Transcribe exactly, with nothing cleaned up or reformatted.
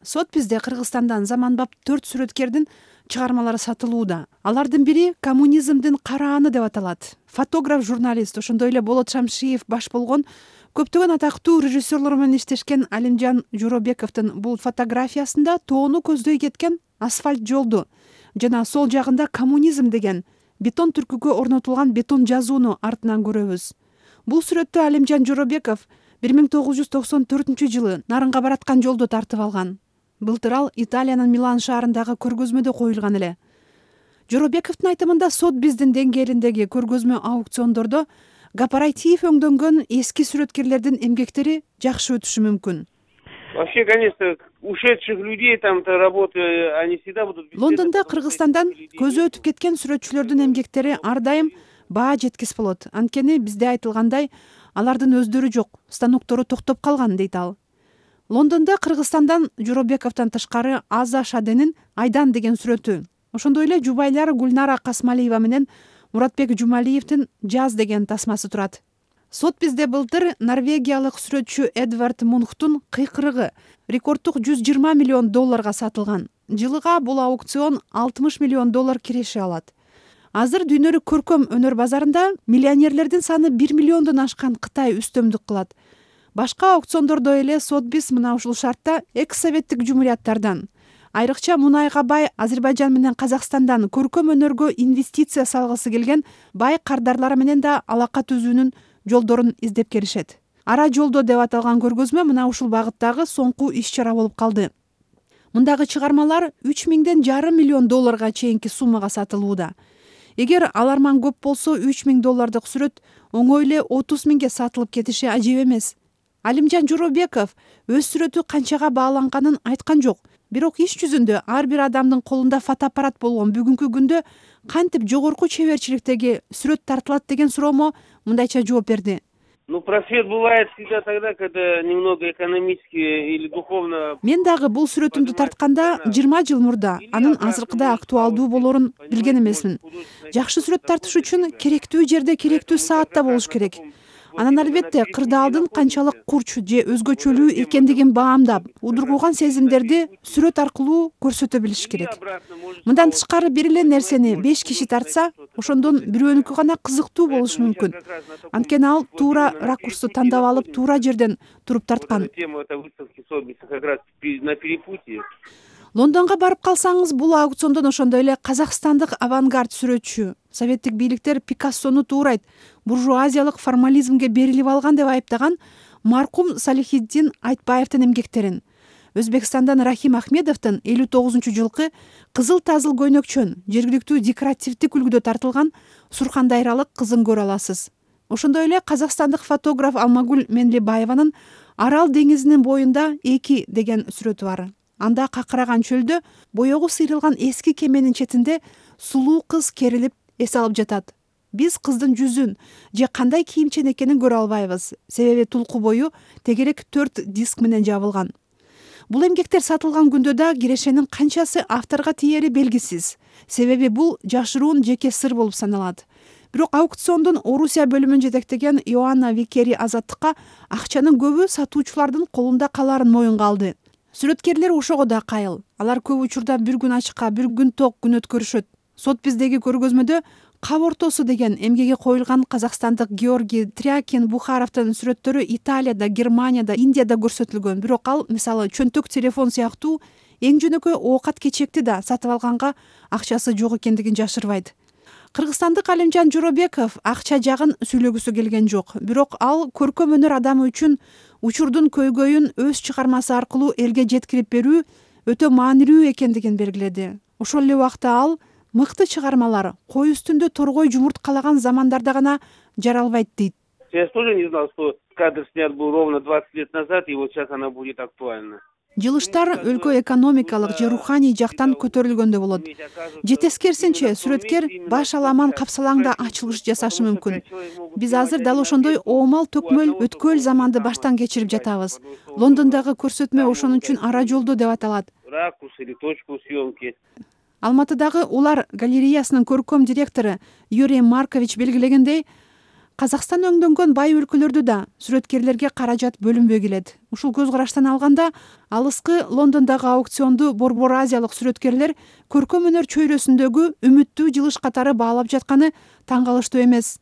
Сотбизде Кыргызстандан заманбап төрт сүрөткердин чыгармалары сатылууда. Алардын бири коммунизмдин карааны деп аталат. Фотограф, журналист, ошондой эле Болот Шамшиев баш болгон көптөгөн атактуу режиссерлор менен иштешкен Алимжан Жоробековдун бул фотографиясында тоону көздөй кеткен асфальт жолду жана сол жагында коммунизм деген бетон түркүгө орнотулган бетон жазууну артынан көрөбүз. Бул сүрөттү Алимжан Жоробеков бир миң тогуз жүз токсон төртүнчү жылы Нарынга бараткан жолду тартып алган. Былтыр ал Италиянын Милан шаарындагы көргөзмөдө коюлган эле. Жоробековдун айтымында Сотбиздин деңгээлиндеги көргөзмө аукциондордо кооператив өңдөнгөн эски сүрөткерлердин эмгектери жакшы өтүшү мүмкүн. Вообще, конечно, ушедших людей там-то работы, они всегда будут... Лондондо Кыргызстандан көзү өтүп кеткен сүрөтчүлөрдүн эмгектери ар дайым баа жеткис болот. Анткени бизде айтылгандай, алардын өздөрү жок, станоктору токтоп калган, дейт ал. Лондондо Кыргызстандан Жоробековдон тышкары Аза Шаденин Айдан деген сүрөтү, ошондой эле жубайлар Гүлнара Касмалиева менен Муратбек Жумалиевдин Жаз деген тасмасы турат. Сотбизде былтыр норвегиялык сүрөтчү Эдвард Мунхтун Кыйкырыгы рекорддук жүз жыйырма миллион долларга сатылган. Жылыга бул аукцион алтымыш миллион доллар киреше алат. Азыр дүйнөлүк көркөм өнөр базарында миллионерлердин саны бир миллиондон ашкан Кытай үстөмдүк кылат. Башка аукциондордо эле Сотбиз мына ушул шартта экс-советтик жумурияттардан, айрыкча мунайга бай Азербайжан менен Казакстандан көркөм өнөргө инвестиция салгысы келген бай кардарлар менен да алака түзүүнүн жолдорун издеп келишет. Ара жолдо деп аталган көргөзмө мына ушул багыттагы соңку иш-чара болуп калды. Мындагы чыгармалар үч миңден жарым миллион долларга чейинки суммага сатылууда. Эгер аларман көп болсо үч миң доллардык сүрөт оңой эле отуз миңге сатылып кетиши ажеп эмес. Алимжан Жоробеков өз сүрөтү канчага бааланганын айткан жок. Бирок иш жүзүндө ар бир адамдын колунда фотоаппарат болгон бүгүнкү күндө кантип жогорку чеберчиликтеги сүрөт тартылат деген суроомо мындайча жооп берди. Ну, просвет бывает всегда тогда, когда немного экономически или духовно... Мен дагы бул сүрөтүмдү тартканда жыйырма жыл мурда анын азыркыда актуалдуу болорун билген эмесмин. Жакшы сүрөт тартыш үчүн керектүү жерде керектүү саатта болуш керек. Анан албетте кырдаалдын канчалык курч же өзгөчөлүү экендигин баамдап, удургуган сезимдерди сүрөт аркылуу көрсөтө билиш керек. Мындан тышкары бир эле нерсени беш киши тартса, ошондон бирөөнүкү гана кызыктуу болушу мүмкүн. Анткени ал туура ракурсту тандап алып, туура жерден туруп тарткан. Лондонго барып калсаңыз, бул аукциондон ошондой эле казакстандык авангард сүрөтчү, советтик бийликтер Пикассону туурайт, буржуазиялык формализмге берилип алган деп айыптаган маркум Салихиддин Айтбаевдин эмгектерин, Өзбекстандан Рахим Ахмедовдун элүү тогузунчу жылкы кызыл тазыл көйнөкчөн жергиликтүү декоративдик үлгүдө тартылган Сурхандайралык кызын көрө аласыз. Ошондой эле казакстандык фотограф Алмагүл Менлибаеванын Арал деңизинин боюнда эки деген сүрөтү бар. Анда какыраган чөлдө боёгу сыйрылган эски кеменин четинде сулуу кыз керилип эс алып жатат. Биз кыздын жүзүн же кандай кийимчен экенин көрө албайбыз, себеби тулку бою тегерек төрт диск менен жабылган. Бул эмгектер сатылган күндө да кирешенин канчасы авторго тиери белгисиз, себеби бул жашыруун жеке сыр болуп саналат. Бирок аукциондун Орусия бөлүмүн жетектеген Иоанна Викери азаттыкка акчанын көбү сатуучулардын колунда каларын моюнга алды. Сүрөткерлер ошого да кайыл. Алар көп учурда бир күн ачыкка, бир күн ток күн өткөрүшөт. Сотбиздеги көргөзмөдө Кап ортосу деген эмгеге коюлган казакстандык Георгий Трякин Бухаровдун сүрөттөрү Италияда, Германияда, Индияда көрсөтүлгөн. Бирок ал, мисалы, чөнтөк телефон сыяктуу эң жөнөкөй оокат кечекти да сатып алганга акчасы жок экендигин жашырбайт. Кыргызстандык Алимжан Жоробеков акча жагын сүйлөгүсү келген жок. Бирок ал көркөм өнөр адамы үчүн учурдун көйгөйүн өз чыгармасы аркылуу элге жеткирип берүү өтө маанилүү экендигин белгиледи. Ошол эле убакта ал мыкты чыгармалар кой үстүндө торгой жумурткалаган замандарда гана жаралбайт дейт. Я тоже не знал, что кадр снят был ровно двадцать лет назад, и вот сейчас она будет актуальна. Жылыштар өлкө экономикалык же руханий жактан көтөрүлгөндө болот. Же тескерисинче сүрөткер баш аламан капсалаңда ачылыш жасашы мүмкүн. Биз азыр дал ошондой оомал төкмөл өткөл заманды баштан кечирип жатабыз. Лондондогу көрсөтмө ошон үчүн ара жолдо деп аталат. Ракурс или точку съемки. Алматыдагы Улар галереясынын көркөм директору Юрий Маркович белгилегендей, Казакстан өңдөнгөн бай өлкөлөрдө да сүрөткерлерге каражат бөлүнбөй келет. Ушул көз караштан алганда алыскы Лондондогу аукционду борбор азиялык сүрөткерлер көркөм өнөр чөйрөсүндөгү үмүттүү жылыш катары баалап жатканы таң калыштуу эмес.